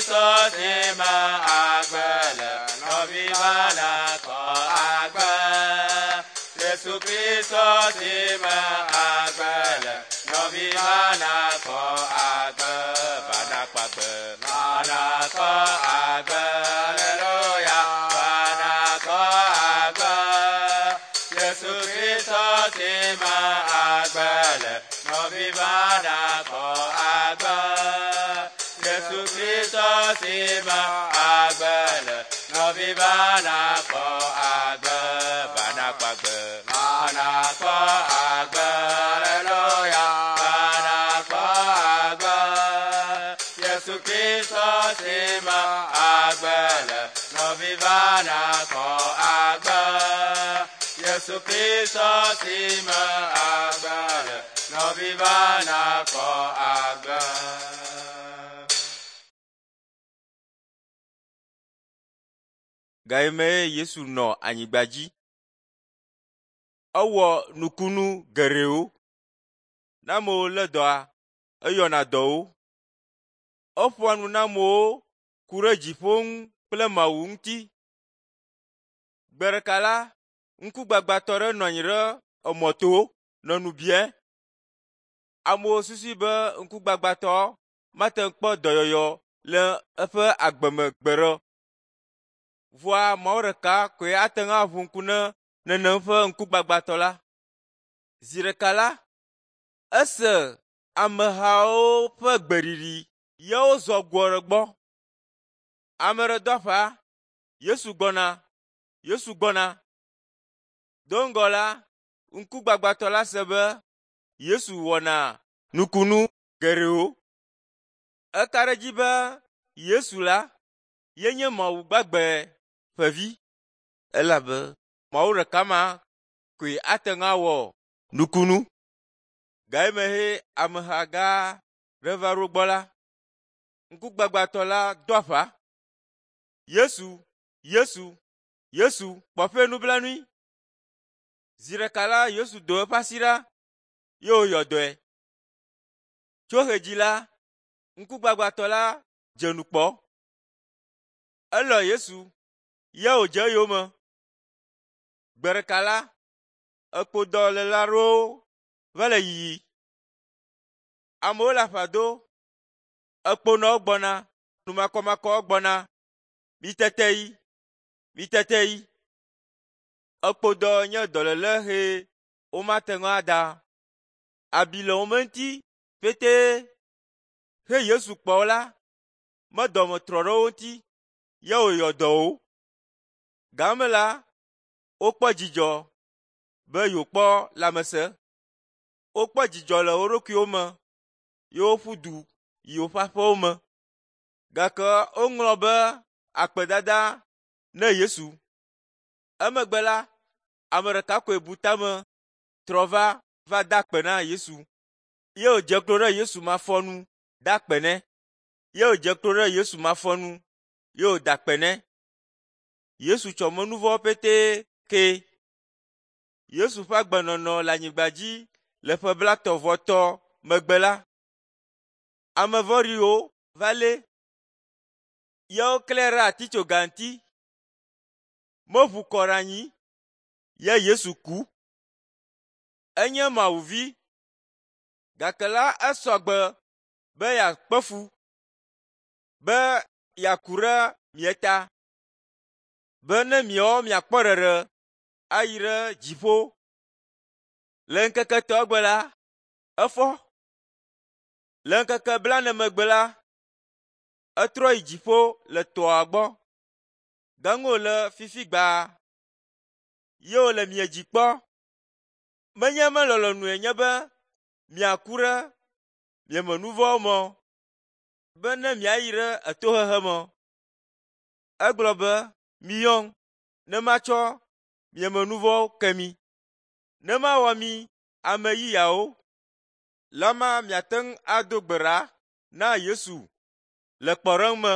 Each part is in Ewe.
Kristo si me agbe le, nɔvi va nakpɔ agbe. Yesu Kristo si me agbe le, nɔvi va nakpɔ agbe. Va nakpɔ agbe, va nakpɔ agbe, aleluya, va nakpɔ agbe. Yesu Kristo si me agbe le, nɔvi va nakpɔ agbe. Yesu Kristo si me agbe le, nɔvi va nakpɔ agbe. Va nakpɔ agbe, va nakpɔ agbe, aleluya, va nakpɔ agbe. Yesu Kristo si me agbe le, nɔvi va nakpɔ agbe. Yesu Kristo si me agbe le, nɔvi va nakpɔ agbe. Ga yi me Yesu nɔ anyigba dzi, ewɔ nukunu geɖewo. Ne amewo lé dɔa, eyɔna dɔwo. Eƒoa nu na amewo ku ɖe dziƒo ŋu kple Mawu ŋuti. Gbe ɖeka la, ŋkugbagbãtɔ ɖe nɔ anyi ɖe emɔto nɔ nu biam. Amewo susui be ŋkugbagbãtɔ mate ŋu kpɔ dɔyɔyɔ le eƒe agbeme gbeɖe o. Vɔa Mawu ɖeka koe ate ŋu aʋu ŋku ne nenem ƒe ŋkugbagbãtɔ la. Zi ɖeka la, ese amehawo ƒe gbeɖiɖi ye wozɔ gbɔ ɖe gbɔ. Ame ɖe do aƒa, Yesu gbɔna, Yesu gbɔna. Do ŋgɔ la, ŋkugbagbãtɔ la se be Yesu wɔna nukunu geɖewo. Eka ɖe edzi be Yesu la yenye Mawu gbagbe ƒe vi elabe Mawu ɖeka ma koe ate ŋu awɔ nukunu. Ga yi me he ameha gã ɖe va ɖo gbɔ la, ŋkugbagbãtɔ la do aƒa. Yesu, Yesu, Yesu kpɔ ƒe nublanui. Zi ɖeka la Yesu do eƒe asi ɖa ye wòyɔ dɔe. Tso ɣedzi la, ŋkugbagbãtɔ la dze nu kpɔ. Elɔ Yesu ye wòdze eyome. Gbe ɖeka la, ekpodɔléla aɖewo va le yiyi. Amewo le aƒa do, ekponɔwo gbɔna, numakɔmakɔwo gbɔna. Mitete yi, mitete yi. Ekpodɔ nye dɔléle he womate ŋu ada. Abi le wo me ŋuti ƒetee. He Yesu kpɔ wo la, me dɔme trɔ ɖe wo ŋuti ye wòyɔ dɔ wo. Game la, wokpɔ dzidzɔ be yewokpɔ lãmesẽ. Wokpɔ dzidzɔ le wo ɖokuiwo me ye woƒu du yi woƒe aƒewo me. Gake woŋlɔ be akpedada ne Yesu. Emegbe la, ame ɖeka koe bu tame trɔ va va da akpe na Yesu. Ye wòdze klo ɖe Yesu mafɔnu da akpe nɛ. Ye wòdze klo ɖe Yesu mafɔnu ye wòda akpe nɛ. Yesu tsɔ menuvɔ̃wo ƒetee kee. Yesu ƒe agbenɔnɔ le anyigba dzi le ƒe blaetɔ̃-vɔ-etɔ̃ megbe la, ame vɔ̃ɖiwo va lée ye woklãe ɖe atitsoga ŋuti. Meʋu kɔ ɖe anyi ye Yesu ku. Enye Mawu vi gake la esɔ gbe be yeakpe fu, be yeaku ɖe mia ta, be ne miawo miakpɔ ɖeɖe ayi ɖe dziƒo. Le ŋkeke etɔ̃a gbe la, efɔ. Le ŋkeke blaene megbe la, etrɔ yi dziƒo le tɔa gbɔ. Gaŋu wòle fifi gbaa ye wòle mia dzi kpɔ. Menye eme lɔlɔ̃nue nye be miaku ɖe miame nu vɔ̃wo me o, be ne miayi ɖe etohehe me o. Egblɔ be, “Miyɔm ne matsɔ miame nu vɔ̃wo ke mi, ne mawɔ mi ame yeyeawo.” Lama miate ŋu ado gbe ɖa na Yesu le kpɔɖeŋu me.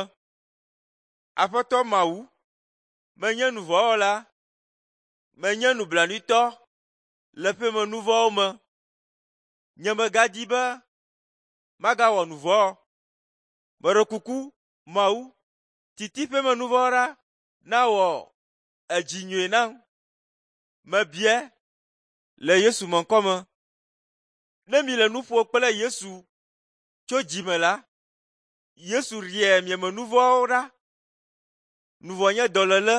Aƒetɔ Mawu, menye nu vɔ̃ wɔla, menye nublanuitɔ le ƒeme nu vɔ̃wo me. Nye megadi be magawɔ nu vɔ̃ o. Meɖe kuku Mawu, titiƒeme nu vɔ̃ ɖa nawɔ edzi nyuie nam. Mebia le Yesu me ŋkɔme. Ne mi le nu ƒom kple Yesu tso dzi me la, Yesu ɖea mieme nu vɔ̃wo ɖa. Nu vɔ̃ nye dɔléle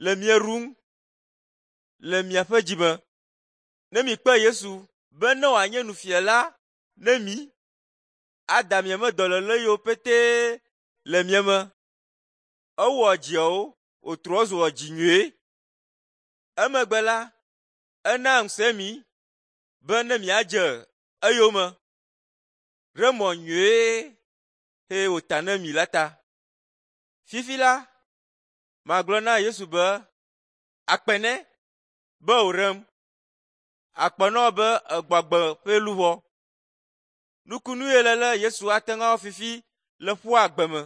le mia ɖum le miaƒe dzi me. Ne mikpe Yesu be ne wòanye nufiala ne mi, ada mieme dɔléle yiwo pete le mia me. Ewɔ dziawo wòtrɔ zu dzi nyui. Emegbe la, ena ŋusẽ mi be ne miadze eyome ɖe mɔ nyui eye wòta na mi la ta. Fifi la, magblɔ na Yesu be, akpe nɛ be wòɖem. Akpe na wò be egbɔ agbe ƒe luʋɔ. Nukunu ye lele Yesu ate ŋu awɔ fifi le ƒua agbe me.